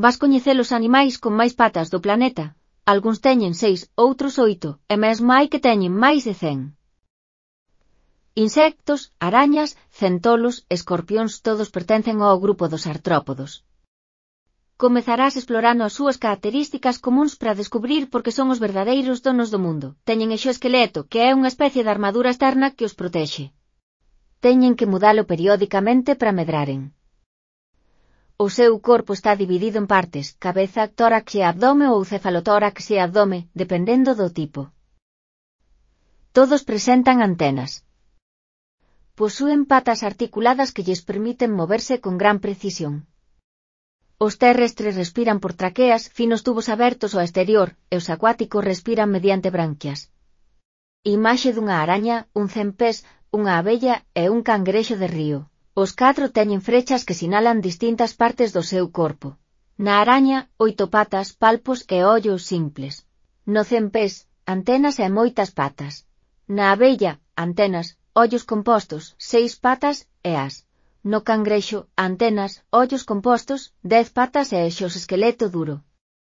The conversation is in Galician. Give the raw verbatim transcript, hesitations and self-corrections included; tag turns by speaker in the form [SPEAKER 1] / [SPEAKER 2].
[SPEAKER 1] Vas coñecer os animais con máis patas do planeta. Algúns teñen seis, outros oito, e mesmo hai que teñen máis de cen. Insectos, arañas, centolos, escorpións todos pertencen ao grupo dos artrópodos. Comezarás explorando as súas características comúns para descubrir por que son os verdadeiros donos do mundo. Teñen exoesqueleto, que é unha especie de armadura externa que os protexe. Teñen que mudalo periódicamente para medraren. O seu corpo está dividido en partes, cabeza, tórax e abdome ou cefalotórax e abdome, dependendo do tipo. Todos presentan antenas. Posúen patas articuladas que lles permiten moverse con gran precisión. Os terrestres respiran por traqueas, finos tubos abertos ao exterior, e os acuáticos respiran mediante branquias. Imaxe dunha araña, un cempés, unha abella e un cangrexo de río. Os catro teñen frechas que sinalan distintas partes do seu corpo. Na araña, oito patas, palpos e ollos simples. No cempés, antenas e moitas patas. Na abella, antenas, ollos compostos, seis patas e as. No cangrexo, antenas, ollos compostos, dez patas e exoesqueleto duro.